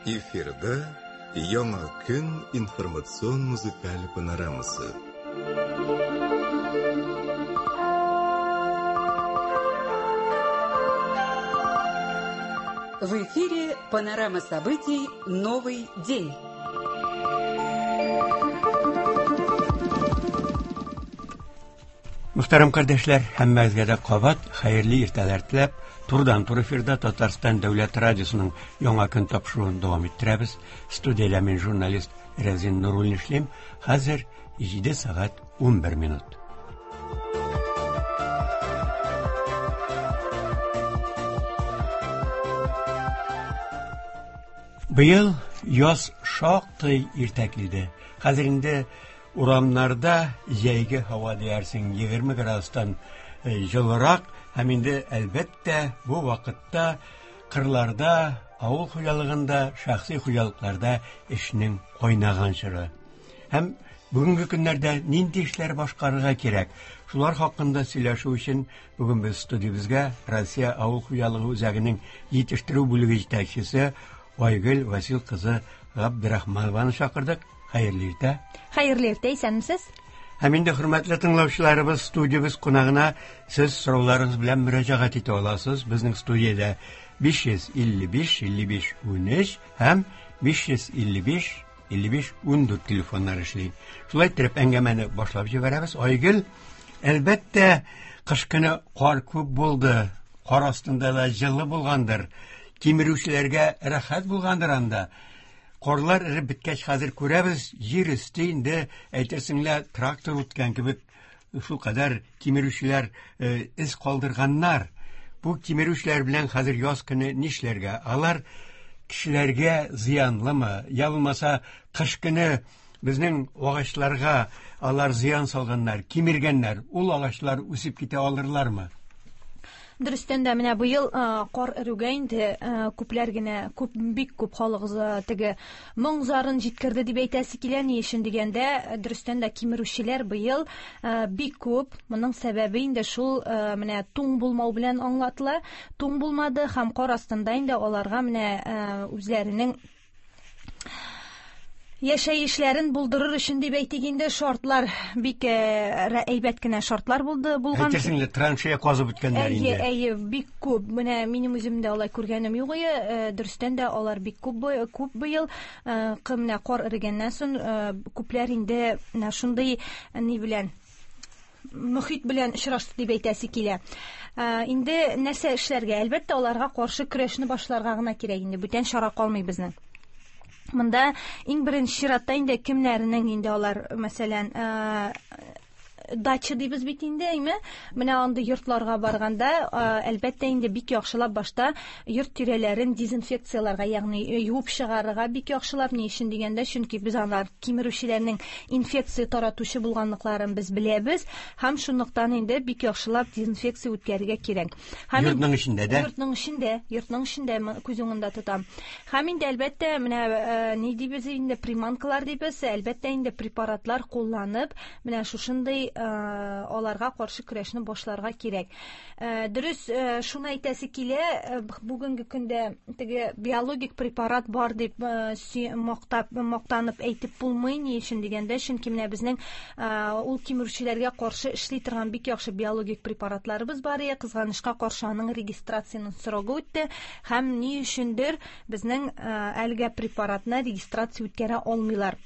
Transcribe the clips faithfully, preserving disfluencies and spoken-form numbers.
Эфирда Яңа көн информацион музыкаль панорамасы. В эфире панорама событий «Новый день». Мөхтәрәм кардәшләр, һәммәгезгә дә кабат хәерле иртәләр теләп, турыдан-туры эфирда Татарстан дәүләт радиосының Яңа көн тапшыруын дәвам иттерәбез. Студиядә мин журналист Рәзин Нуруллин эшлим. Хәзер җиде сәгать унбер минут. Быел яз шактый иртә килде. Хәзер инде урамнарда җәйге һава диярсең, егерме градустан җылырак, һәм инде әлбәттә бу вакытта кырларда, авыл хуҗалыгында, шәхси хуҗалыкларда эшнең кайнаган чоры. Һәм бүгенге көннәрдә нинди эшләр башкарырга кирәк? Шулар хакында сөйләшү өчен бүген без студиябезгә Россия авыл хуҗалыгы үзәгенең җитештерү бүлеге җитәкчесе Айгөл Васил кызы Габдрахманованы чакырдык. Хәерле иртә. Хәерле иртә, исәнмесез? Һәм инде хөрмәтле тыңлаучыларыбыз, студиябез кунагына сез сорауларыгыз белән мөрәҗәгать итә аласыз. Безнең студиядә биш йөз илле биш, илле биш, унөч һәм биш йөз илле биш, илле биш, ундүрт телефоннар эшли. Шулай итеп әңгәмәне башлап җибәрәбез. Айгөл, әлбәттә, кыш көне кар күп булды. Кар астында да җылы булгандыр. Кимерүчеләргә рәхәт булгандыр анда. Карлар эреп беткәч, хәзер күрәбез, җир өсте инде әйтерсең лә трактор үткән кебек, шул кадәр кимерүчеләр, э, эз калдырганнар. Бу кимерүчеләр белән хәзер яз көне нишләргә? Алар кешеләргә зыянлымы? Я булмаса, кыш көне безнең агачларга алар зыян салганнар, кимергәннәр. Ул агачлар үсеп китә алырлармы? Дөрестән дә менә быел, э, кар эрүгә инде, э, күпләр генә, күп, бик күп халык, э, теге моң зарын җиткерде дип әйтәсе килә. Ни өчен дигәндә, дөрестән дә кимерүчеләр быел, э, бик күп. Моның сәбәбе инде шул, э, менә туң булмау белән аңлатыла. Туң булмады һәм кар астында инде аларга менә, э, үзләренең яшәешләрен булдырыр өчен дип әйтик инде, шартлар бик, э, рә-, әйбәт кенә шартлар булды, булган. Әйтерсең лә траншея казып үткәннәр Әйе, инде. әйе, бик күп. Менә минем үзем дә алай күргәнем юк иде. Э, дөрестән дә алар бик күп бы-, күп быел. Э, кы-, менә кар эрегәннән соң, э, күпләр инде менә шундый ни белән мөхит белән очрашты дип әйтәсе килә. Э, инде нәрсә эшләргә? Әлбәттә, аларга каршы көрәшне башларга гына кирәк инде. Бүтән чара калмый безнең. Монда иң беренче чиратта инде кемнәрнең инде алар, мәсәлән, э, дача дибез бит инде, әйме? Менә андый йортларга барганда, э, әлбәттә инде бик яхшылап башта йорт тирәләрен дезинфекцияләргә, ягъни юып чыгарырга бик яхшылап. Ни өчен дигәндә, чөнки без алар кимерүчеләрнең инфекция таратучы булганлыкларын без беләбез һәм шунлыктан инде бик яхшылап дезинфекция үткәрергә кирәк. Һәм Йортның эчендә дә? Йортның эчендә, йортның эчендә м-, күз уңында тотам. Һәм инде әлбәттә менә, э, ни дибез инде, приманкалар дибез, әлбәттә инде препаратлар кулланып, менә шушындый, э, аларга каршы көрәшне башларга кирәк. Э, дөрес, э, шуны әйтәсе килә, э, бүгенге көндә теге биологик препарат бар дип, э, сөй-, мактап, мактанып әйтеп булмый. Ни өчен дигәндә, чөнки менә безнең, э, ул кимерүчеләргә каршы эшли торган бик яхшы биологик препаратларыбыз бар иде. Кызганычка каршы аның регистрацияның срогы үтте һәм ни өчендер безнең, э, әлегә препаратны регистрация үткәрә алмыйлар.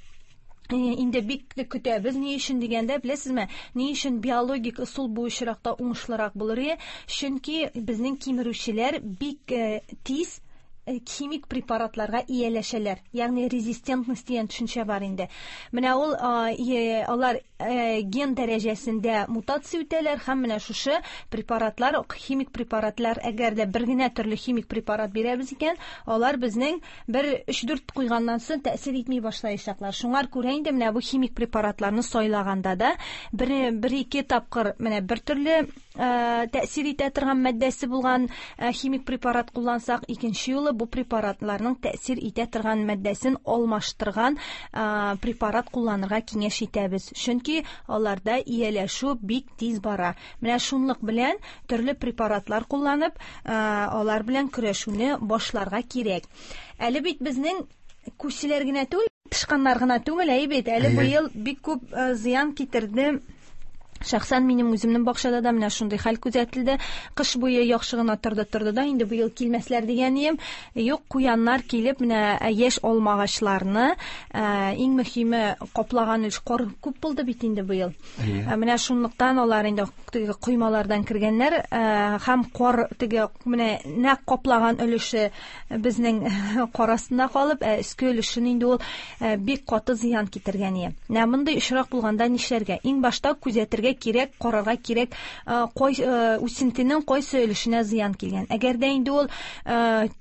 Э, инде бик тә көтәбез. Ни өчен дигәндә, беләсезме, ни өчен биологик ысул бу очракта уңышлырак булыр иде? Чөнки безнең кимерүчеләр бик, э, тиз, э, химик препаратларга ияләшәләр. Ягъни резистентность дигән төшенчә бар инде. Менә ул, а, е, алар, э, ген дәрәҗәсендә мутация үтәләр һәм менә шушы препаратлар, химик препаратлар, әгәр дә бер генә төрле химик препарат бирәбез икән, алар безнең бер өч-дүрт куйганнан соң тәэсир итми башлаячаклар. Шуңар күрә инде менә бу химик препаратларны сайлаганда да бер, бер ике тапкыр менә бер төрле, э, тәэсир итә торган матдәсе булган, э, химик препарат куллансак, икенче юлы бу препаратларның тәэсир итә торган матдәсен алмаштырган, э, препарат кулланырга киңәш итәбез. Чөнки Чөнки аларда ияләшү бик тиз бара. Менә шунлык белән төрле препаратлар кулланып, алар белән көрәшүне башларга кирәк. Әле бит безнең күселәр генә түгел, тычканнар гына түгел, әй бит, әле быел бик күп зыян китерде. Шәхсән минем үземнең бакчада да менә шундый хәл күзәтелде. Кыш буе яхшы гына торды торды да, инде быел килмәсләр дигән идем. Юк, куяннар килеп, менә яшь алмагачларны, иң мөһиме каплаган өлеш кар күп булды бит инде быел. Менә шунлыктан алар инде теге коймалардан кергәннәр, һәм кар теге менә нәкъ каплаган өлеше безнең кар астында калып, ә өске өлешен инде ул бик каты зыян китергән иде. Менә мондый очрак булганда нишләргә? Иң башта күзәтергә кирәк, карарга кирәк, кай үсентенең кайсы өлешенә зыян килгән. Әгәр дә инде ул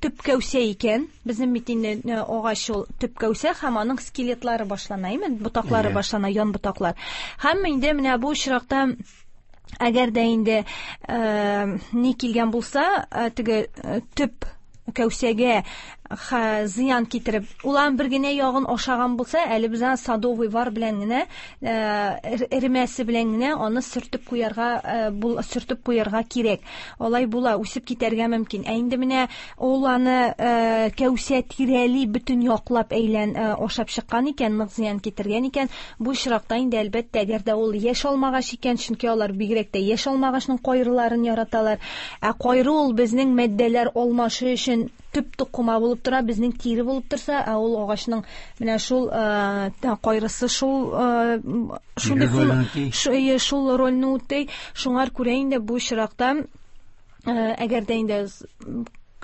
төп кәүсә икән, безнең бит инде агач ул төп кәүсә һәм аның скелетлары башлана, әйме, ботаклары башлана, ян ботаклар. Һәм инде менә бу очракта әгәр дә инде ни килгән булса, теге төп кәүсәгә зыян китереп, улан бер генә ягын ашаган булса, әле без аны садовый вар белән генә, эремәсе белән генә аны сөртеп куярга, сөртеп куярга кирәк. Алай була, үсеп китәргә мөмкин. Ә инде менә ул аны кәүсә тирәли бөтен яклап әйлән ашап чыккан икән, нык зыян китергән икән, бу очракта инде әлбәттә, әгәр дә ул яшь алмагач икән, чөнки алар бигрәк тә яшь алмагачның кайрыларын яраталар. Ә кайры ул безнең матдәләр алмашы өчен төп тукыма булып тора, безнең тире булып торса, ә ул агачның менә шул кайрысы шул шундый шул рольне үти. Шуңар күрә инде бу очракта әгәр дә инде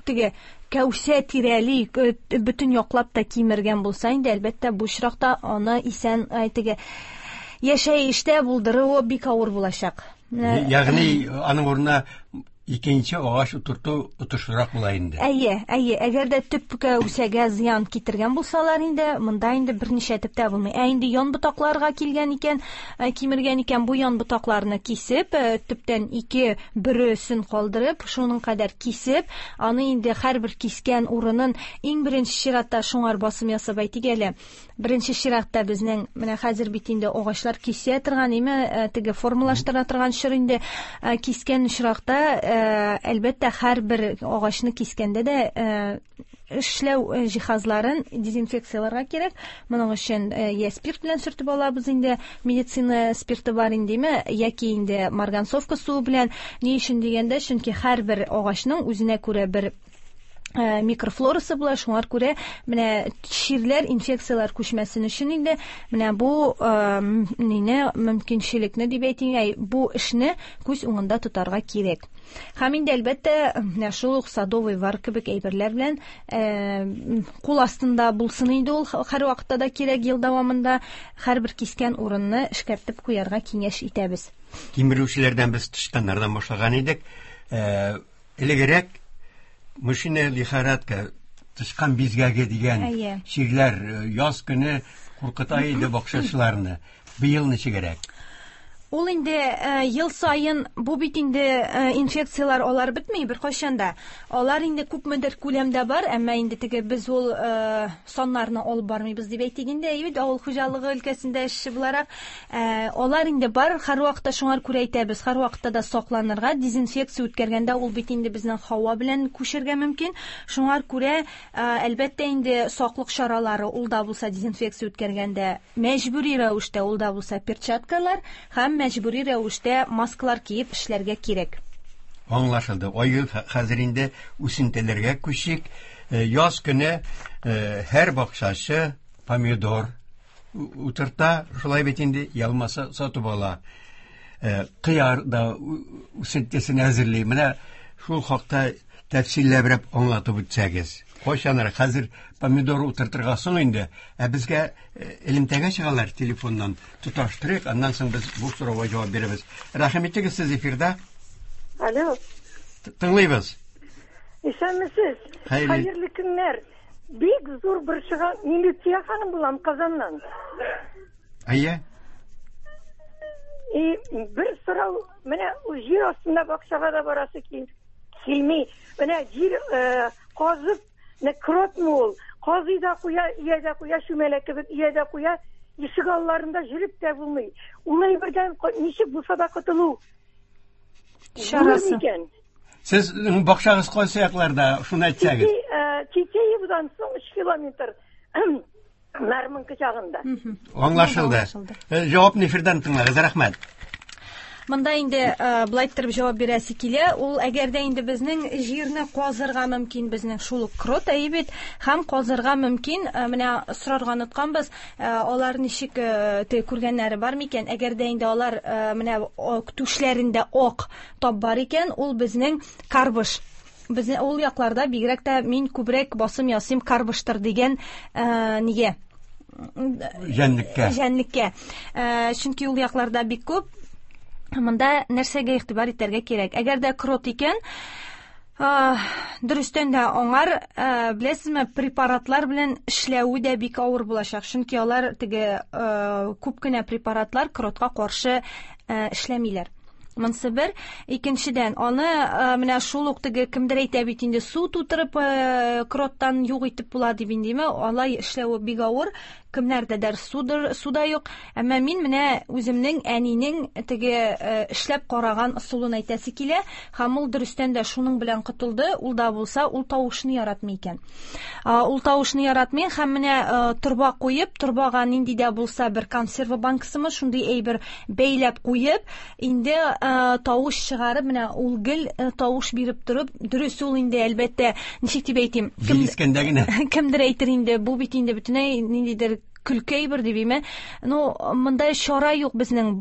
теге кәүсә тирәли бөтен яклап та кимергән булса, инде әлбәттә бу очракта аны исән теге яшәештә булдыруы бик авыр булачак. Ягъни аның урынына икенче агач утырту отышлырак була инде. Әйе, әйе, әгәр дә төп кәүсәгә зыян китергән булсалар инде, монда инде берничә төптә булмый. Ә инде ян ботакларга килгән икән, кимергән икән, бу ян ботакларны кисеп, төптән ике бөресен калдырып, шуның кадәр кисеп, аны инде һәрбер кискән урынын иң беренче чиратта шуңар басым ясап әйтик әле. Беренче чиратта безнең менә хәзер бит инде агачлар кисә торган, име, теге формалаштыра торган чор инде, кискән очракта әлбәттә һәрбер агачны кискәндә дә эшләү җиһазларын дезинфекцияләргә кирәк. Моның өчен я спирт белән сөртеп алабыз инде, медицина спирты бар индеме, яки инде марганцовка суы белән. Ни өчен дигәндә, чөнки һәрбер агачның үзенә күрә бер микрофлорасы була, шуңар күрә менә чирләр, инфекцияләр күчмәсен өчен инде менә бу нине мөмкинчелекне дип әйтик, бу эшне күз уңында тотарга кирәк. Һәм инде әлбәттә менә шул ук садовый вар кебек әйберләр белән кул астында булсын инде ул һәрвакытта да кирәк, ел дәвамында һәрбер кискән урынны эшкәртеп куярга киңәш итәбез. Кимерүчеләрдән без тычканнардан башлаган идек. Элегрәк мышиная лихорадка, тычкан бизгәге дигән чирләр яз көне куркыта иде бакчачыларны. Быел ничегрәк? Ул инде ел саен бу бит инде инфекцияләр алар бетми беркайчан да. Алар инде күпмедер күләмдә бар, әмма инде теге без ул саннарны алып бармыйбыз дип әйтик инде, әйе бит, авыл хуҗалыгы өлкәсендә эшче буларак, алар инде бар, һәрвакытта шуңар күрә әйтәбез, һәрвакытта да сакланырга, дезинфекция үткәргәндә ул бит инде безнең һава белән күчергә мөмкин. Шуңар күрә әлбәттә инде саклык чаралары ул да булса дезинфекция үткәргәндә мәҗбүри рәвештә ул да булса перчаткалар һәм мәҗбүри рәвештә маскалар киеп эшләргә кирәк. Аңлашылды. Айгөл, хәзер инде үсентеләргә күчик. Яз көне һәр бакчачы помидор утырта, шулай бит инде, ялмаса сатып ала. Кыяр да үсентесен әзерли. Менә шул хакта тәфсилләбрәк аңлатып үтсәгез. Кайчанрак хәзер помидор утыртырга соң инде, ә безгә элемтәгә чыгалар телефоннан тоташтырыйк, аннан соң без бу сорауга җавап бирәбез. Рәхим итегез, сез эфирда. Алло. Тыңлыйбыз. Исәнмесез. Хәерле көннәр. Бик зур борчыган мин Лүтия ханым булам Казаннан. Әйе. И бер сорау, менә җир астында бакчага да барасы килми. Менә җир казып, не кротмы ул, казый да куя, ия дә куя, чүмәлә кебек ия дә куя, Ишек алларында жүреп тә булмый. Ул әйбердән ничек булса да котылу чарасы. Сезнең бакчагыз кайсы якларда, шуны әйтсәгез. Титеевдан соң өч километр Нармынкы чагында. Аңлашылды. Җавапны эфирдан тыңлагыз, рәхмәт. Монда инде былай иттереп җавап бирәсе килә. Ул әгәр дә инде безнең җирне казырга мөмкин, безнең шул ук крот әйе бит, һәм казырга мөмкин. Менә сорарга онытканбыз, алар ничек күргәннәре бар микән? Әгәр дә инде алар менә түшләрендә ак тап бар икән, ул безнең карбыш. Безнең ул якларда бигрәк тә мин күбрәк басым ясыйм карбыштыр дигән нигә? Җәнлеккә. Җәнлеккә. Чөнки ул якларда бик күп. Монда нәрсәгә игътибар итәргә кирәк? Әгәр дә крот икән, дөрестән дә аңар, беләсезме, препаратлар белән эшләве дә бик авыр булачак. Чөнки алар теге күп кенә препаратлар кротка каршы эшләмиләр. Монсы бер. Икенчедән, аны менә шул ук теге кемдер әйтә бит инде, су тутырып кроттан юк итеп була дип индеме, алай эшләве бик авыр. Кемнәрдәдер судыр, суда юк. Әмма мин менә үземнең әнинең теге эшләп караган ысулын әйтәсе килә. Һәм ул дөрестән дә шуның белән котылды. Ул да булса, ул тавышны яратмый икән. Ул тавышны яратмый һәм менә торба куеп, торбага нинди дә булса бер консерва банкасымы, шундый әйбер бәйләп куеп, инде тавыш чыгарып, менә ул гел тавыш биреп торып, дөрес ул инде әлбәттә, ничек дип әйтим, кемдер әйтер инде, бу бит инде бөтенләй ниндидер көлке әйбер дип име. Ну, монда чара юк безнең,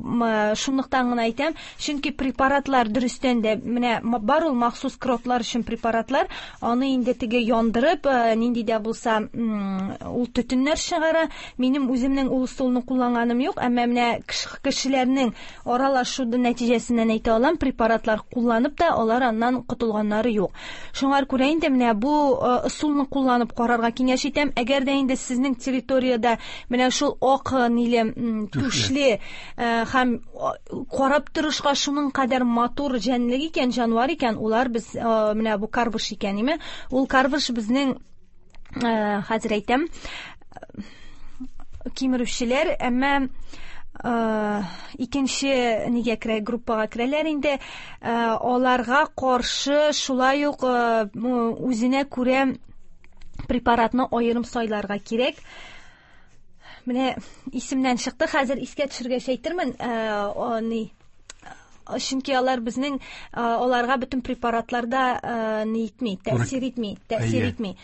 шунлыктан гына әйтәм, чөнки препаратлар дөрестән дә менә бар ул махсус кротлар өчен препаратлар, аны инде теге яндырып, нинди дә булса ул төтеннәр чыгара. Минем үземнең ул ысулны кулланганым юк, әмма менә кешеләрнең аралашу нәтиҗәсеннән әйтә алам, препаратлар кулланып та алар аннан котылганнары юк. Шуңа күрә инде менә бу ысулны кулланып карарга киңәш итәм. Әгәр дә инде сезнең территориядә менә шул ак ниле түшле һәм карап торышка шуның кадәр матур җәнлек икән, җанвар икән, улар без менә бу карбыш икән, име? Ул карбыш безнең, хәзер әйтәм, кимерүчеләр, әмма икенче нигә керә, группага керәләр инде. Аларга каршы шулай ук үзенә күрә препаратны аерым сайларга кирәк. Менә исемнән чыкты, хәзер искә төшергәч әйтермен, ни, чөнки алар безнең, аларга бөтен препаратларда ни итми, тәэсир итми, тәэсир итми.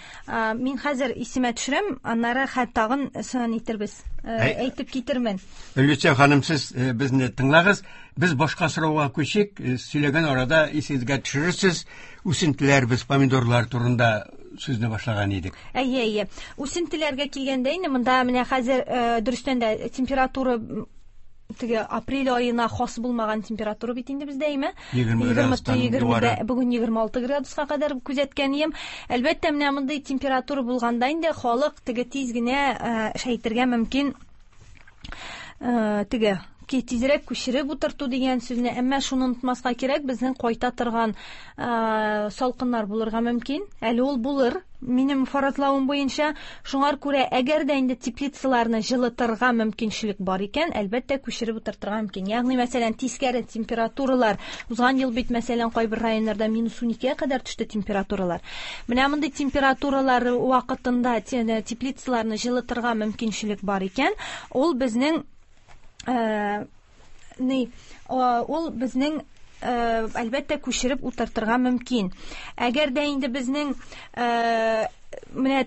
Мин хәзер исемә төшерәм, аннары хәт тагын сон итербез, әйтеп китермен. Люция ханым, сез безне тыңлагыз, без башка сорауга күчик, сөйләгән арада исегезгә төшерерсез, үсентеләр, без помидорлар турында сүзне башлаган идек. Әйе, әйе. Үсентеләргә килгәндә инде монда менә хәзер дөрестән дә температура теге апрель аена хас булмаган температура бит инде бездә, әйме? егерме градустан югары. Бүген егерме алты градуска кадәр күзәткән идем. Әлбәттә, менә мондый температура булганда инде халык теге тиз генә әйтергә мөмкин, теге тизрәк күчереп утырту дигән сүзне, әмма шуны онытмаска кирәк, безнең кайта торган салкыннар булырга мөмкин. Әле ул булыр, минем фаразлавым буенча. Шуңар күрә, әгәр дә инде теплицаларны җылытырга мөмкинчелек бар икән, әлбәттә күчереп утыртырга мөмкин. Ягъни, мәсәлән, тискәре температуралар, узган ел бит, мәсәлән, кайбер районнарда минус уникегә кадәр төште температуралар. Менә мондый температуралар вакытында теплицаларны җылытырга мөмкинчелек бар икән, ул безнең ни, ул безнең әлбәттә күчереп утыртырга мөмкин. Әгәр дә инде безнең менә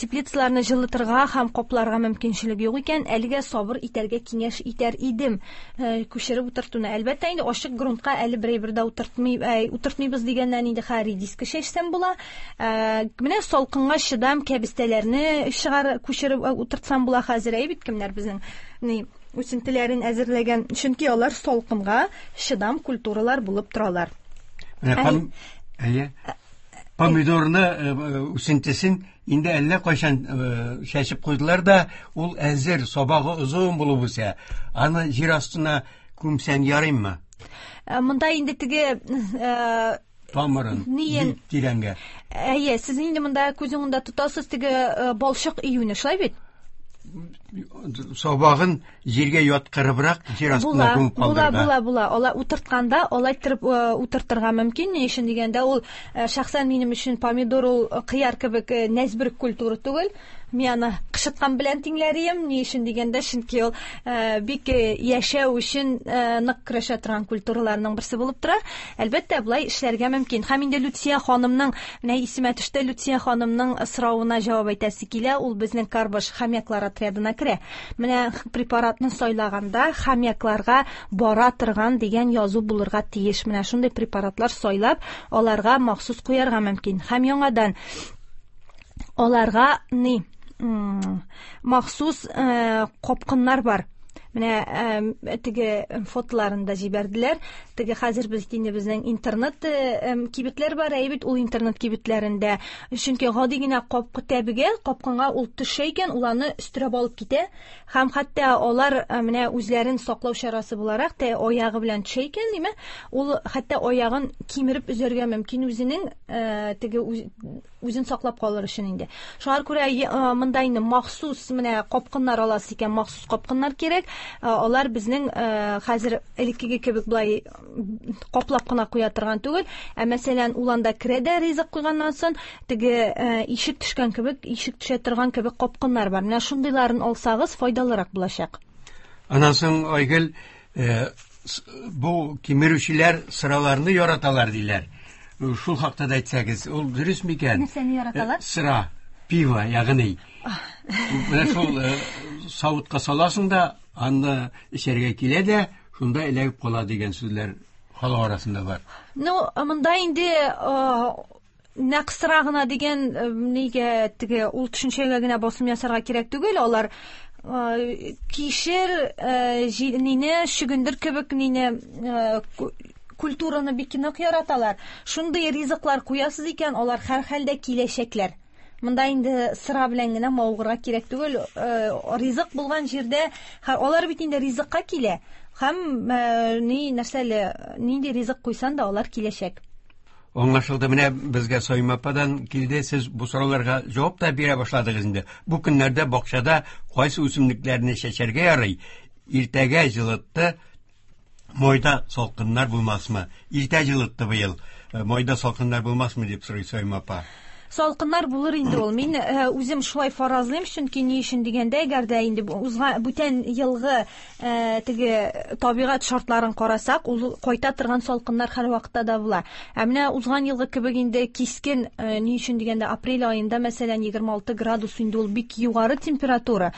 теплицаларны җылытырга һәм капларга мөмкинчелек юк икән, әлегә сабыр итәргә киңәш итәр идем күчереп утыртуны. Әлбәттә инде ачык грунтка әле берәй дә утыртмый, утыртмыйбыз дигәннән инде хәр редиска чәчсәм була. Менә салкынга чыдам кәбестәләрне чыгар күчереп утыртсам була хәзер, әй бит кемнәр безнең ни үсентеләрен әзерләгән, чөнки алар салкынга чыдам культуралар булып торалар. Әйе. Помидорны үсентесен инде әллә кайчан чәчеп куйдылар да, ул әзер, сабагы озын булып үсә. Аны җир астына күмсәң ярыймы? Монда инде теге тамырын тирәнгә. Әйе, сез инде монда күз уңында тотасыз теге балчык июне, шулай бит? Сабагын җиргә яткырыбрак җир астына күмеп калдырырга. Була, була, була. Алай утыртканда, алай иттереп утыртырга мөмкин. Ни өчен дигәндә, ул шәхсән минем өчен помидор ул кыяр кебек нәзберек культура түгел. Мин аны кышыткан белән тиңләрем. Ни өчен дигәндә, чөнки ул бик яшәү өчен нык көрәшә торган культураларның берсе булып тора. Әлбәттә, болай эшләргә мөмкин. Һәм инде Люция ханымның, менә исемә төште, Люция ханымның соравына җавап әйтәсе килә. Ул безнең карбыш хомяклар отрядына керә. Менә препаратны сайлаганда хомякларга бара торган дигән язу булырга тиеш. Менә шундый препаратлар сайлап, аларга махсус куярга мөмкин. Һәм яңадан аларга ни махсус капкыннар бар. Менә теге фотоларын да җибәрделәр. Теге хәзер без инде безнең интернет кибетләр бар, әй бит ул интернет кибетләрендә. Чөнки гади генә капкы тәбегә, капкынга ул төшә икән, ул аны өстерәп алып китә. Һәм хәтта алар менә үзләрен саклау чарасы буларак та аягы белән төшә икән, димә, ул хәтта аягын кимереп өзәргә мөмкин үзенең теге үзен саклап калыр өчен инде. Шуңа күрә монда инде махсус менә капкыннар аласы икән, махсус капкыннар кирәк. Алар безнең хәзер элеккеге кебек болай каплап кына куя торган түгел. Ә мәсәлән, ул анда керә дә ризык куйганнан соң теге ишек төшкән кебек, ишек төшә торган кебек капкыннар бар. Менә шундыйларын алсагыз файдалырак булачак. Аннан соң, Айгөл, бу кимерүчеләр сыраларны яраталар диләр. Шул хакта да әйтсәгез, ул дөрес микән? Нәрсәне яраталар? Сыра, пиво, ягъни. Менә шул савытка саласың да, аны эчәргә килә дә, шунда эләгеп кала дигән сүзләр халык арасында бар. Ну, монда инде нәкъ сыра гына дигән нигә теге ул төшенчәгә генә басым ясарга кирәк түгел. Алар кишер, нине, чөгендер кебек нине культураны бик нык яраталар. Шундый ризыклар куясыз икән, алар һәр хәлдә киләчәкләр. Монда инде сыра белән генә мавыгырга кирәк түгел. Ризык булган җирдә алар бит инде ризыкка килә. Һәм ни нәрсәле, нинди ризык куйсан да алар киләчәк. Аңлашылды. Менә безгә Саима ападан килде. Сез бу сорауларга җавап та бирә башладыгыз инде. Бу көннәрдә бакчада кайсы үсемлекләрне чәчәргә ярый? Иртәгә җылытты, майда салкыннар булмасмы? Иртә җылытты быел. Майда салкыннар булмасмы дип сорый Саима апа. Салкыннар булыр инде ул. Мин үзем шулай фаразлыйм, чөнки ни өчен дигәндә, әгәр дә инде узган бүтән елгы теге табигать шартларын карасак, ул кайта торган салкыннар һәр вакытта да була. Ә менә узган елгы кебек инде кискен, ни өчен дигәндә, апрель аенда мәсәлән егерме алты градус инде ул бик югары температура.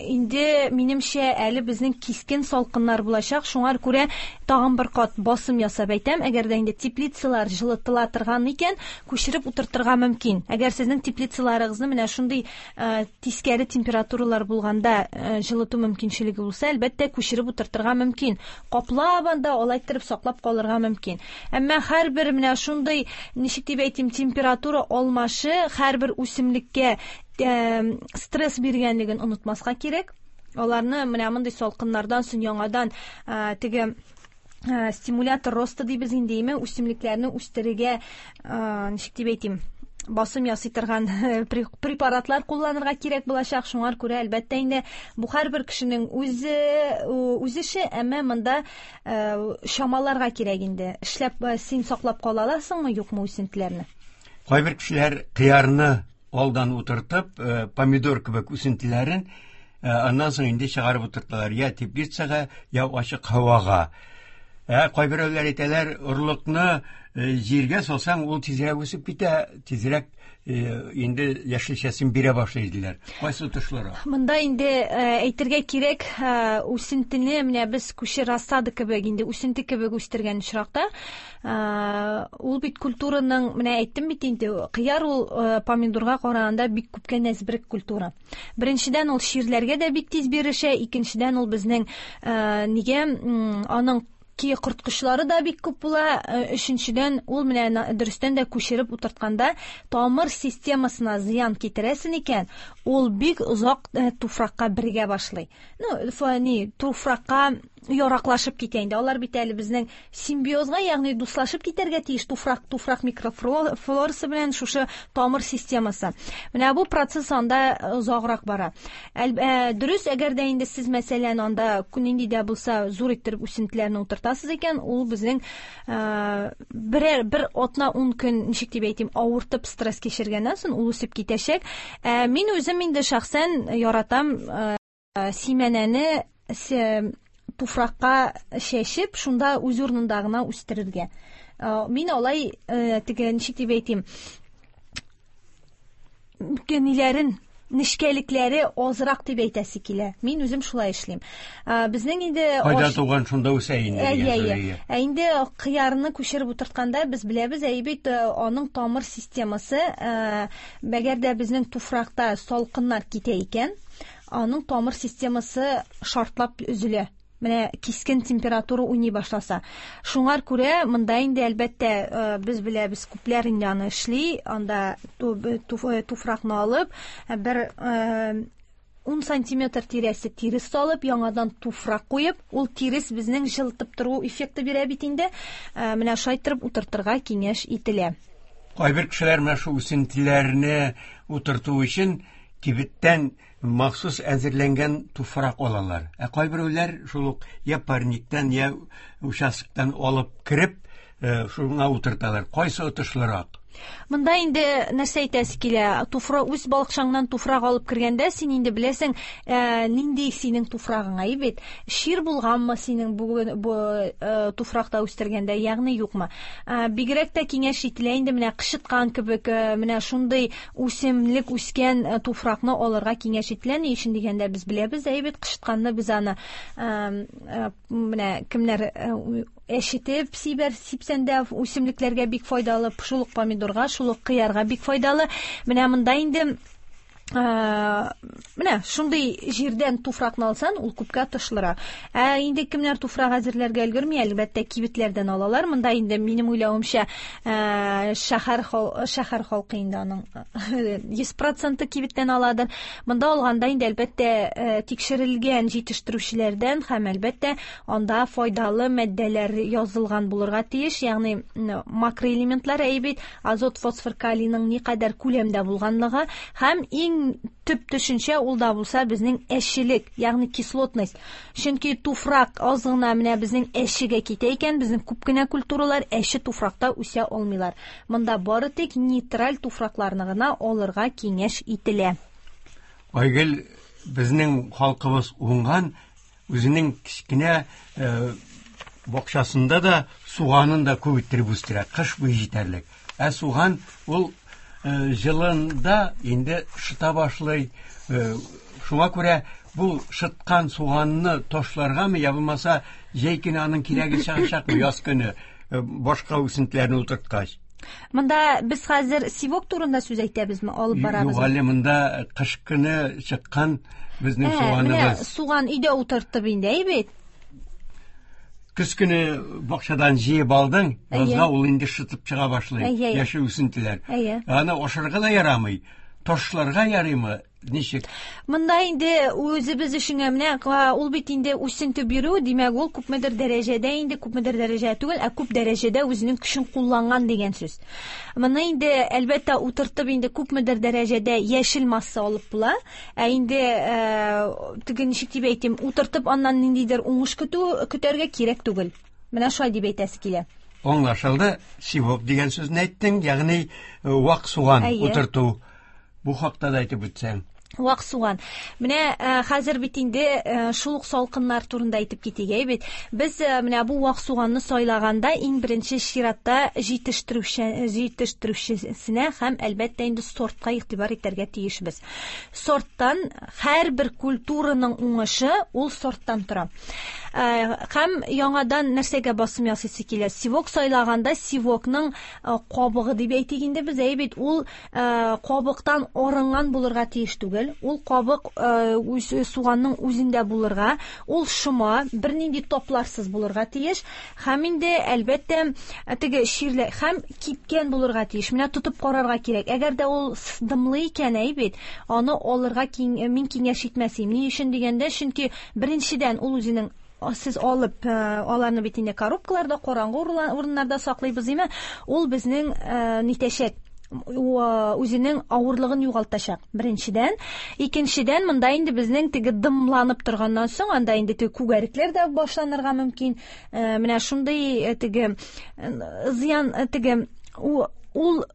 Инде минемчә әле безнең кискен салкыннар булачак. Шуңа күрә тагын бер кат басым ясап әйтәм, әгәр дә инде теплицалар җылытыла торган икән, күчереп утыртырга мөмкин. Әгәр сезнең теплицаларыгызны менә шундый тискәре температуралар булганда җылыту мөмкинчелеге булса, әлбәттә күчереп утыртырга мөмкин. Каплап анда алай иттереп саклап калырга мөмкин. Әмма һәрбер менә шундый, ничек дип әйтим, температура алмашы һәрбер үсемлеккә стресс биргәнлеген онытмаска кирәк. Аларны менә мондый салкыннардан соң яңадан теге стимулятор роста дибез инде, име, үсемлекләрне үстерергә, ничек дип әйтим, басым ясый торган препаратлар кулланырга кирәк булачак. Шуңа күрә әлбәттә инде бу һәрбер кешенең үзе үз эше, әмма монда чамаларга кирәк инде. Эшләп син саклап кала аласыңмы, юкмы үсентеләрне? Кайбер кешеләр кыярны алдан утыртып, помидор кебек үсентеләрен аннан соң инде чыгарып утырталар, я теплицага, я ачык һавага. Ә кайберәүләр әйтәләр, орлыкны җиргә салсаң, ул тизрәк үсеп китә, тизрәк инде яшелчәсен бирә башлый диләр. Кайсы отышлырак? Монда инде әйтергә кирәк, үсентене менә без күче рассада кебек инде үсенте кебек үстергән очракта, ул бит культураның, менә әйттем бит инде, кыяр ул помидорга караганда бик күпкә нәзберек культура. Беренчедән, ул чирләргә дә бик тиз бирешә, икенчедән, ул безнең нигә аның ки корткычлары да бик күп була. Өченчедән, ул менә дөрестән дә күчереп утыртканда тамыр системасына зыян китерәсен икән, ул бик озак туфракка бергә башлый. Ну, ни, туфракка яраклашып китә инде. Алар бит әле безнең симбиозга, ягъни дуслашып китәргә тиеш туфрак, туфрак микрофлорасы белән шушы тамыр системасы. Менә бу процесс анда озаграк бара. Әл, ә, дөрес, әгәр дә инде сез мәсәлән анда нинди дә булса зур иттереп үсентеләрне утыртасыз икән, ул безнең ә, берәр бер атна ун көн, ничек дип әйтим, авыртып стресс кичергәннән соң ул үсеп китәчәк. Ә, мин үзем инде шәхсән яратам ә, симәнәне туфракка чәчеп, шунда үз урынында гына үстерергә. Мин алай теге ничек дип әйтим, ниләрен, нечкәлекләре азрак дип әйтәсе килә. Мин үзем шулай эшлим. Безнең инде кайда туган шунда үсә инде дигән сүз. Ә инде кыярны күчереп утыртканда без беләбез, әй бит аның тамыр системасы, әгәр дә безнең туфракта салкыннар китә икән, аның тамыр системасы шартлап өзелә. Менә кискен температура уйный башласа. Шуңар күрә монда инде әлбәттә без беләбез, күпләр инде аны эшли, анда туфракны алып, бер ун сантиметр тирәсе тирес салып, яңадан туфрак куеп, ул тирес безнең җылытып тору эффекты бирә бит инде. Менә шулай итеп утыртырга киңәш ителә. Кайбер кешеләр менә шу үсентеләрне утырту өчен кибеттән махсус әзерләнгән туфрак алалар. Ә кайберәүләр шул ук я парниктан, я участоктан алып кереп, шуңа утырталар. Кайсы отышлырак? Монда инде нәрсә әйтәсе килә? Туфрак, үз балыкчаңнан туфрак алып кергәндә син инде беләсең, ә, нинди синең туфрагың, әй бит. Шир булганмы синең бүген бу ә, туфракта үстергәндә, ягъни юкмы? Ә, бигрәк тә киңәш ителә инде менә кычыткан кебек, ә, менә шундый үсемлек үскән ә, туфракны алырга киңәш ителә. Ни өчен дигәндә без беләбез, әй бит, кычытканны без аны ә, ә, менә кемнәр ә, әчетеп сибәр сипсән дә үсемлекләргә бик файдалы, шул ук помидорга, шул ук кыярга бик файдалы. Менә монда инде менә шундый җирдән туфракны алсан, ул күпкә отышлырак. Ә инде кемнәр туфрак әзерләргә өлгерми, әлбәттә, кибетләрдән алалар. Монда инде минем уйлавымча, шәһәр шәһәр халкы инде аның йөз проценты кибеттән аладыр. Монда алганда инде әлбәттә тикшерелгән җитештерүчеләрдән һәм әлбәттә анда файдалы матдәләр язылган булырга тиеш, ягъни макроэлементлар, әй бит, азот, фосфор, калийның никадәр күләмдә булганлыгы һәм иң төп төшенчә ул да булса безнең әчелек, ягъни кислотность. Чөнки туфрак аз гына менә безнең әчегә китә икән, безнең күп кенә культуралар әче туфракта үсә алмыйлар. Монда бары тик нейтраль туфракларны гына алырга киңәш ителә. Айгөл, безнең халкыбыз уңган, үзенең кечкенә бакчасында да суганын да күп иттереп үстерә, кыш буе җитәрлек. Ә суган ул җылында инде шыта башлый. Шуңа күрә бу шыткан суганны ташларгамы, я булмаса җәй көне аның кирәге чыгачакмы, яз көне башка үсентеләрне утырткач? Монда без хәзер сивок турында сүз әйтәбезме, алып барабызмы? Юк, әле монда кыш көне чыккан безнең суганыбыз. Суган өйдә утыртып инде, әй бит. Көз көне бакчадан җыеп алдың, язга ул инде шытып чыга башлый, яшел үсентеләр. Аны ашарга да ярамый, ташларга ярыймы, ничек? Монда инде үзебез өчен менә ул бит инде үсенте бирү, димәк, ул күпмедер дәрәҗәдә инде, күпмедер дәрәҗә түгел, ә күп дәрәҗәдә үзенең көчен кулланган дигән сүз. Моны инде әлбәттә утыртып инде күпмедер дәрәҗәдә яшел масса алып була. Ә инде теге ничек дип әйтим, утыртып аннан ниндидер уңыш көтү көтәргә кирәк түгел. Менә шулай дип әйтәсе килә. Аңлашылды. Сивок дигән сүзне әйттең, ягъни вак суган утырту. Бу хакта да әйтеп үтсәң. Вак суган. Менә хәзер бит инде шул ук салкыннар турында әйтеп китик, әй бит. Без менә бу вак суганны сайлаганда иң беренче чиратта җитештерүче, җитештерүчесенә һәм әлбәттә инде сортка игътибар итәргә тиешбез. Сорттан һәрбер культураның уңышы ул сорттан тора. Һәм яңадан нәрсәгә басым ясыйсы килә? Сивок сайлаганда сивокның кабыгы дип әйтик инде без, әй бит, ул кабыктан арынган булырга тиеш түгел. Ул кабык үз суганның үзендә булырга, ул шома, бернинди топларсыз булырга тиеш. Һәм инде әлбәттә теге ширле һәм кипкән булырга тиеш. Менә тотып карарга кирәк. Әгәр дә ул дымлы икән, әй бит, аны алырга мин киңәш итмәс идем. Ни өчен дигәндә, чөнки беренчедән ул үзенең Сез алып, аларны бит инде коробкаларда, караңгы урыннарда саклыйбыз, име? Ул безнең нитәчәк, үзенең авырлыгын югалтачак. Беренчедән, икенчедән, монда инде безнең теге дымланып торганнан соң, анда инде теге күгәрекләр дә башланырга мөмкин. Менә шундый теге зыян, теге ул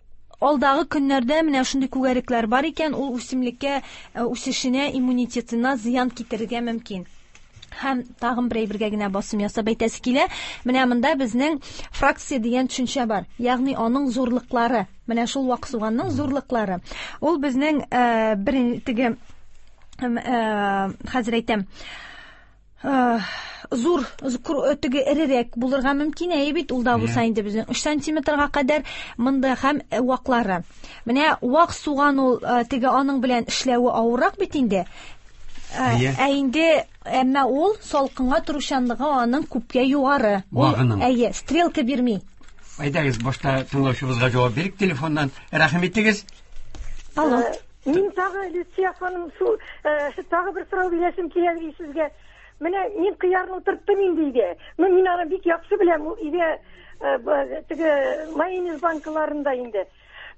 алдагы көннәрдә менә шундый күгәрекләр бар икән, ул үсемлеккә, үсешенә, иммунитетына зыян китерергә мөмкин. Һәм тагын бер әйбергә генә басым ясап әйтәсе килә. Менә монда безнең фракция дигән төшенчә бар. Ягъни аның зурлыклары. Менә шул вак суганның зурлыклары. Ул безнең бер теге хәзер әйтәм, зур теге эрерәк булырга мөмкин, әйе бит, ул да булса инде безнең өч сантиметрга кадәр монда һәм ваклары. Менә вак суган ул теге аның белән эшләве авыррак бит инде. Ә инде әмма ул салкынга торучанлыгы аның күпкә югары. Вагының. Әйе, стрелка бирми. Әйдәгез, башта тыңлаучыбызга җавап бирик телефоннан. Рәхим итегез. Алло. Мин тагы Люция ханым, шул тагы бер сорау бирәсем килә сезгә. Менә мин кыярны утырттым инде өйдә. Ну, мин аны бик яхшы беләм, ул өйдә теге майонез банкаларында инде.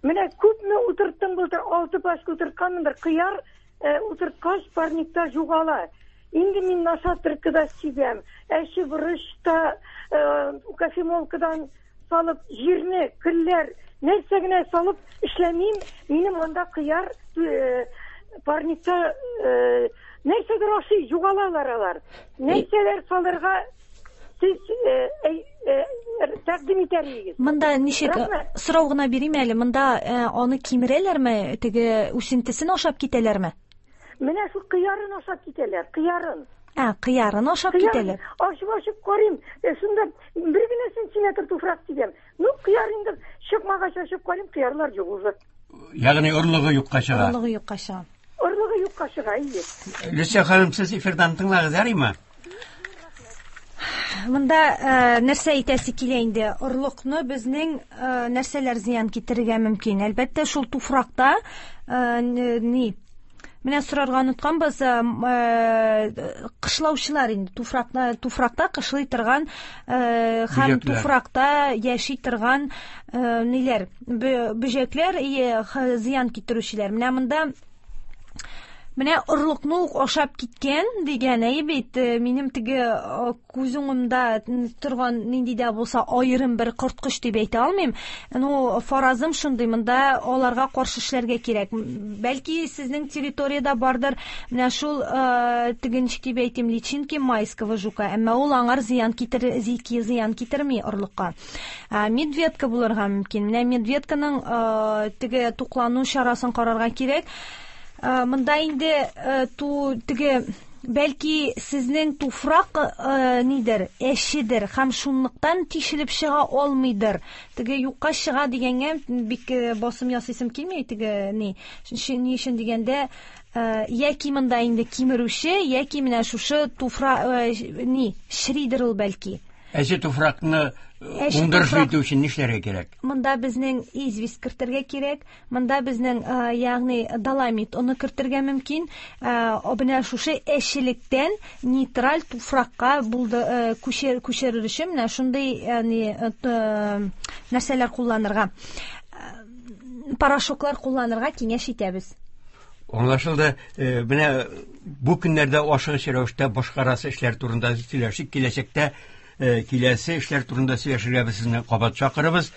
Менә күпме утырттым былтыр, алты пачка утыртканмындыр. Кыяр утырткач парникта югала. Инде мин нашатыркада сибәм. Әче борычта, кофемолкадан салып, җирне, көлләр, нәрсә генә салып эшләмим, минем анда кыяр парникта нәрсәдер ашый, югалалар алар. Нәрсәләр салырга сез тәкъдим итәр идегез? Монда ничек сорау гына бирим әле, монда аны кимерәләрме, теге үсентесен ашап китәләрме? Менә шул кыярын ашап китәләр, кыярын. Ә, кыярын ашап китәләр. Ашып-ашып карыйм, шунда бер генә сантиметр туфрак сибәм. Ну, кыяр инде чыкмагач ашып карыйм, кыярлар юк уже. Ягъни орлыгы юкка чыга. Орлыгы юкка чыга. Орлыгы юкка чыга, әйе. Люция ханым, сез эфирдан тыңлагыз, ярыймы? Монда нәрсә әйтәсе килә инде? Орлыкны безнең нәрсәләр зыян китерергә мөмкин? Әлбәттә, шул туфракта ни Менә сорарга онытканбыз, кышлаучылар инде туфракта, туфракта кышлый торган һәм туфракта яши торган ниләр, бөҗәкләр, зыян китерүчеләр. Менә монда менә орлыкны ук ашап киткән дигән, әйе бит, минем теге күз уңымда торган нинди дә булса аерым бер корткыч дип әйтә алмыйм. Ну, фаразым шундый, монда аларга каршы эшләргә кирәк. Бәлки сезнең территориядә бардыр менә шул теге ничек дип әйтим, личинки майского жука, әмма ул аңар зыян китер, зыян китерми орлыкка. Медведка булырга мөмкин. Менә медведканың теге туклану чарасын карарга кирәк. Монда инде ту теге бәлки сезнең туфрак нидер, әчедер һәм шунлыктан тишелеп чыга алмыйдыр. Теге юкка чыга дигәнгә бик басым ясыйсым килми, теге ни, ни өчен дигәндә, яки монда инде кимерүче, яки менә шушы туфрак ни, шридер ул бәлки. Әче туфракны уңдырышлы итү өчен нишләргә кирәк? Монда безнең известь кертергә кирәк, монда безнең, ягъни доломит оны кертергә мөмкин. Менә шушы әчелектән нейтраль туфракка булды күчер, күчерер өчен менә шундый нәрсәләр кулланырга, порошоклар кулланырга киңәш итәбез. Аңлашылды. Менә бу көннәрдә ашыгыч рәвештә башкарасы эшләр турында сөйләшик, киләчәктә киләсе эшләр турында сөйләшергә без сезне кабат чакырабыз.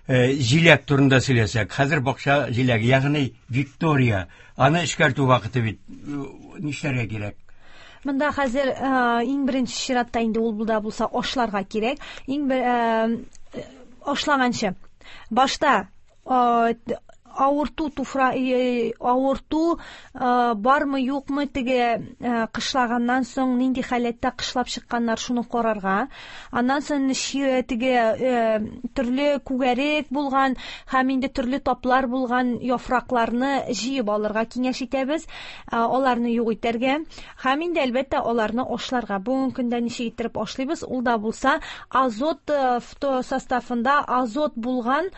Җиләк турында сөйләсәк, хәзер бакча җиләге, ягъни Виктория, аны эшкәртү вакыты бит, нишләргә кирәк? Монда хәзер иң беренче чиратта инде ул да булса ашларга кирәк. Иң бер ашлаганчы башта авырту туфра, авырту бармы юкмы, теге кышлаганнан соң нинди халәттә кышлап чыкканнар, шуны карарга. Аннан соң теге төрле күгәрек булган һәм инде төрле таплар булган яфракларны җыеп алырга киңәш итәбез, аларны юк итәргә һәм инде әлбәттә аларны ашларга. Бүгенге көндә ничек иттереп ашлыйбыз? Ул да булса азот составында азот булган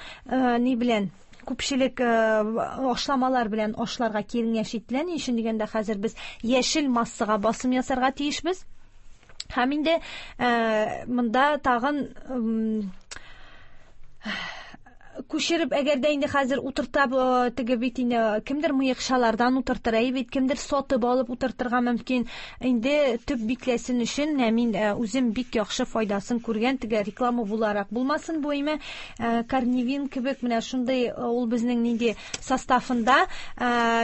ни белән күпчелек ашламалар белән ашларга киңәш ителә. Ни өчен дигәндә, хәзер без яшел массага басым ясарга тиешбез. Һәм инде монда тагын күчереп, әгәр дә инде хәзер утыртап, теге бит инде кемдер мыекчалардан утыртыр, әй бит, кемдер сатып алып утыртырга мөмкин. Инде төп бикләсен өчен менә мин үзем бик яхшы файдасын күргән, теге реклама буларак булмасын бу име, Корневин кебек менә шундый ул безнең нинди составында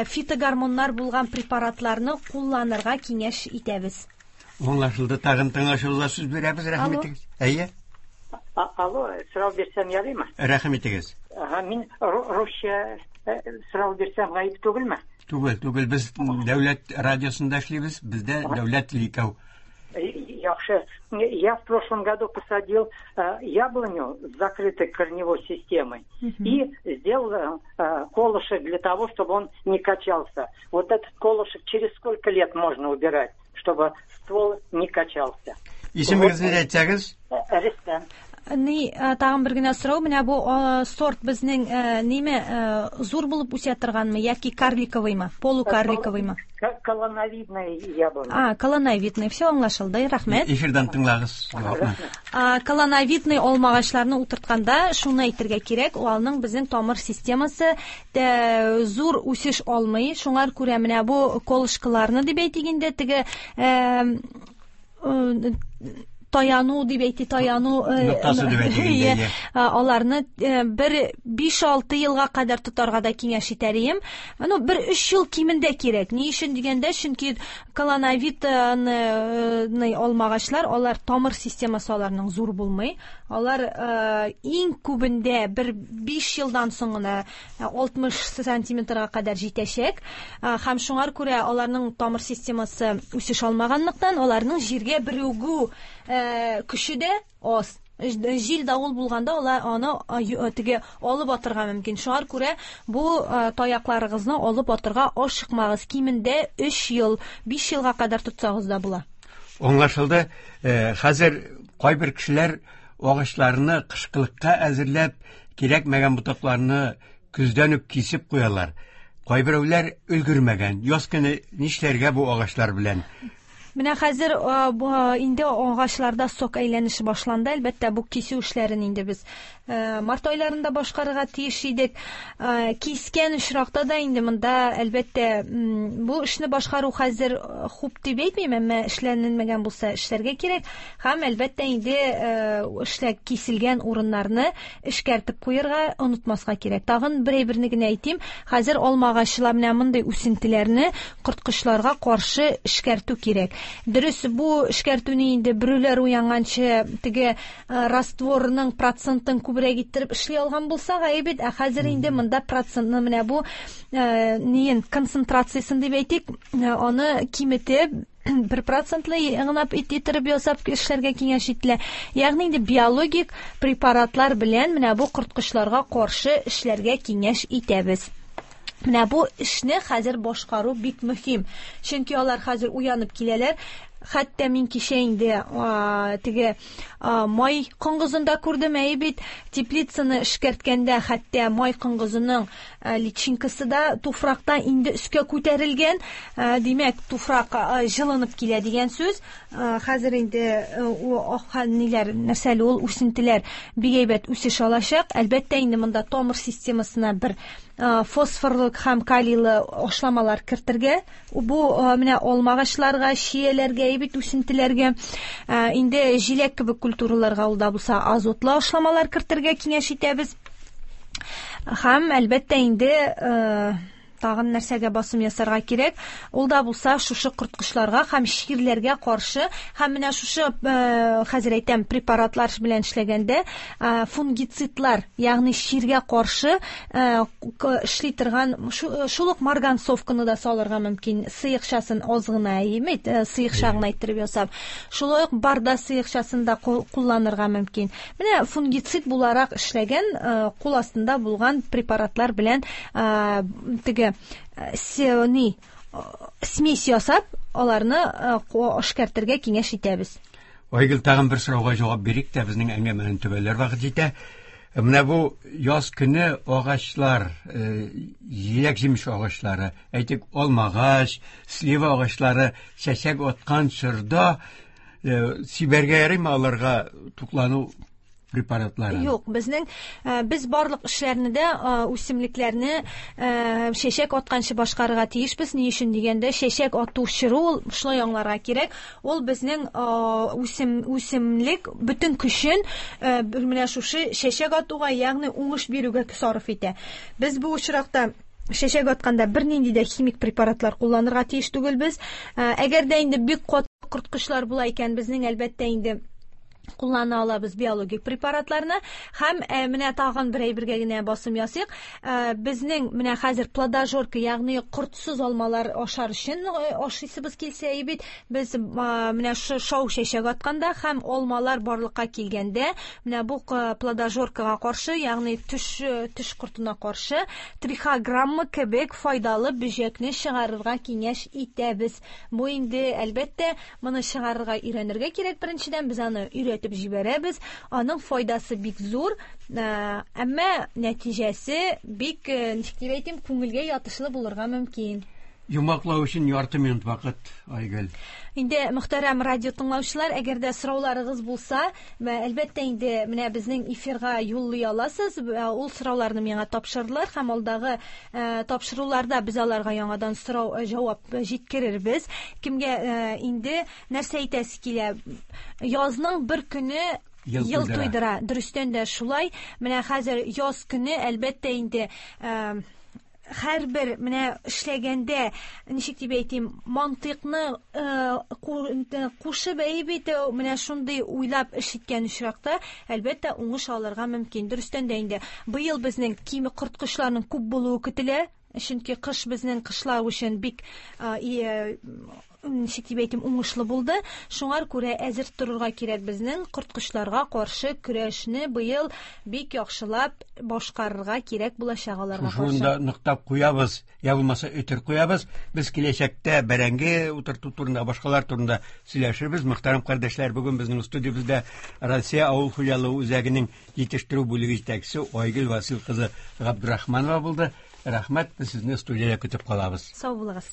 фитогормоннар булган препаратларны кулланырга киңәш итәбез. Аңлашылды. Тагын тыңлаучыбызга сүз бирәбез, рәхим итегез. Әйе. Алло, сорау бирсәм ярыймы? Рәхим итегез. Ага, мин русча сорау бирсәм гаеп түгелме? Түгел, түгел. Без дәүләт радиосында эшлибез, бездә дәүләт теле икәү. Яхшы. Я в прошлом году посадил яблоню с закрытой корневой системой и сделал колышек для того, чтобы он не качался. Вот этот колышек через сколько лет можно убирать, чтобы ствол не качался? Исемегезне әйтсәгез? Рөстәм. Ни, тагын бер генә сорау, менә бу сорт безнең ниме зур булып үсә торганмы яки карликовыймы, полукарликовыймы? Колоновидный яблоня. А, колоновидный, все аңлашылды, рәхмәт. Эфирдан тыңлагыз. Колоновидный алмагачларны утыртканда шуны әйтергә кирәк, алның безнең тамыр системасы зур үсеш алмый, шуңар күрә менә бу колышкаларны дип әйтик инде, теге таяну дип әйтте, таяну ноктасы дип әйтте. Аларны бер биш-алты елга кадәр тотарга да киңәш итәр идем. Ну, бер өч ел кимендә кирәк. Ни өчен дигәндә, чөнки колоновидный алмагачлар, алар тамыр системасы аларның зур булмый. Алар иң күбендә бер биш елдан соң гына алтмыш сантиметрга кадәр җитәчәк. Һәм шуңар күрә аларның тамыр системасы үсеш алмаганлыктан, аларның җиргә берегү көче дә аз. Җил давыл булганда алар аны теге алып атырга мөмкин. Шуңар күрә бу таякларыгызны алып атырга ашыкмагыз. Кимендә өч ел, биш елга кадәр тотсагыз да була. Аңлашылды. Хәзер кайбер кешеләр агачларны кышкылыкка әзерләп, кирәкмәгән ботакларны көздән үк кисеп куялар. Кайберәүләр өлгермәгән. Яз көне нишләргә бу агачлар белән? Менә хәзер инде агачларда сок әйләнеше башланды. Әлбәттә, бу кисү эшләрен инде без март айларында башкарырга тиеш идек. Кискән очракта да инде монда әлбәттә бу эшне башкару хәзер хуп дип әйтмим, әмма эшләнелмәгән булса эшләргә кирәк. Һәм әлбәттә инде эшләр киселгән урыннарны эшкәртеп куярга онытмаска кирәк. Тагын бер әйберне генә әйтим. Хәзер алмагачлар менә мондый үсентеләрне корткычларга каршы эшкәртү кирәк. Дөрес, бу эшкәртүне инде бөреләр уянганчы теге растворның процентын күбрәк иттереп эшли алган булсак, әйбәт, ә хәзер инде монда процентны менә бу неен концентрациясын дип әйтик, аны киметеп бер процентлы гына иттереп ясап эшләргә киңәш ителә. Ягъни инде биологик препаратлар белән менә бу корткычларга каршы эшләргә киңәш итәбез. Менә бу эшне хәзер башкару бик мөһим. Чөнки алар хәзер уянып киләләр. Хәтта мин кичә инде теге май коңгызын да күрдем, әй бит, теплицаны эшкәрткәндә хәтта май коңгызының личинкасы да туфракта инде өскә күтәрелгән. Димәк, туфрак җылынып килә дигән сүз. Хәзер инде ниләр, нәрсәле ул үсентеләр бик әйбәт үсеш алачак. Әлбәттә, инде монда тамыр системасына бер фосфорлы һәм калийлы ашламалар кертергә, бу менә алмагачларга, чияләргә, әйбәт үсентеләргә, инде җиләк кебек культураларга ул да булса азотлы ашламалар кертергә киңәш итәбез. Һәм әлбәттә инде тагын нәрсәгә басым ясарга кирәк, ул да булса шушы корткычларга һәм чирләргә каршы, һәм менә шушы хәзер әйтәм препаратлар белән эшләгәндә фунгицидлар, ягъни чиргә каршы эшли торган шул ук марганцовканы да салырга мөмкин, сыекчасын аз гына, әйеме, сыекча гына иттереп ясап, шулай ук барда сыекчасын да кулланырга мөмкин. Менә фунгицид буларак эшләгән кул астында булган препаратлар белән теге ни смесь ясап, аларны эшкәртергә киңәш итәбез. Айгөл, тагын бер сорауга җавап бирик тә, безнең әңгәмәне төгәлләр вакыт җитә. Менә бу яз көне агачлар, җиләк-җимеш агачлары, әйтик, алмагач, слива агачлары чәчәк аткан чорда Сибәргә ярыймы аларга туклану препаратларын? Юк, безнең без барлык эшләрне дә үсемлекләрне чәчәк атканчы башкарырга тиешбез. Ни өчен дигәндә, чәчәк ату чоры ул шулай аңларга кирәк. Ул безнең үсем үсемлек бөтен көчен менә шушы чәчәк атуга, ягъни уңыш бирүгә сарыф итә. Без бу очракта чәчәк атканда бернинди дә химик препаратлар кулланырга тиеш түгелбез. Әгәр дә инде бик каты корткычлар була икән, безнең әлбәттә инде куллана алабыз биологик препаратларны. Һәм менә тагын бер әйбергә генә басым ясыйк. Безнең менә хәзер плодожорка, ягъни кортсыз алмалар ашар өчен ашыйсыбыз килсә бит, без менә шау чәчәк атканда һәм алмалар барлыкка килгәндә, менә бу плодожоркага каршы, ягъни төш төш кортына каршы трихограмма кебек файдалы бөҗәкне чыгарырга киңәш итәбез. Бу инде әлбәттә моны чыгарырга өйрәнергә кирәк. Беренчедән без аны өйрәтеп җибәрәбез. Аның файдасы бик зур, әмма нәтиҗәсе бик, ничек дип әйтим, күңелгә ятышлы булырга мөмкин. Йомгаклау өчен ярты минут вакыт, Айгөл. Инде мөхтәрәм радио тыңлаучылар, әгәр дә сорауларыгыз булса, әлбәттә инде менә безнең эфирга юллый аласыз. Ул сорауларны миңа тапшырдылар һәм алдагы тапшыруларда без аларга яңадан сорау җавап җиткерербез. Кемгә инде нәрсә әйтәсе килә? Язның бер көне ел туйдыра. Дөрестән дә шулай. Менә хәзер яз көне әлбәттә инде һәрбер менә эшләгәндә, ничек дип әйтим, мантыйкны кушып әйбит, менә шундый уйлап эш иткән очракта, әлбәттә, уңыш алырга мөмкин. Дөрестән дә инде быел безнең кими корткычларның күп булуы көтелә, чөнки кыш безнең кышлау өчен бик ничек дип әйтим, уңышлы булды. Шуңар күрә әзер торырга кирәк безнең корткычларга каршы көрәшне быел бик яхшылап башкарырга кирәк булачак аларга каршы. Шунда ныктап куябыз, я булмаса өтер куябыз. Без киләчәктә бәрәңге утырту турында, башкалар турында сөйләшербез. Мөхтәрәм кардәшләр, бүген безнең студиябездә Россия авыл хуҗалыгы үзәгенең җитештерү бүлеге җитәкчесе Айгөл Васил кызы Габдрахманова булды. Рәхмәт, без сезне студиядә көтеп калабыз. Сау булыгыз.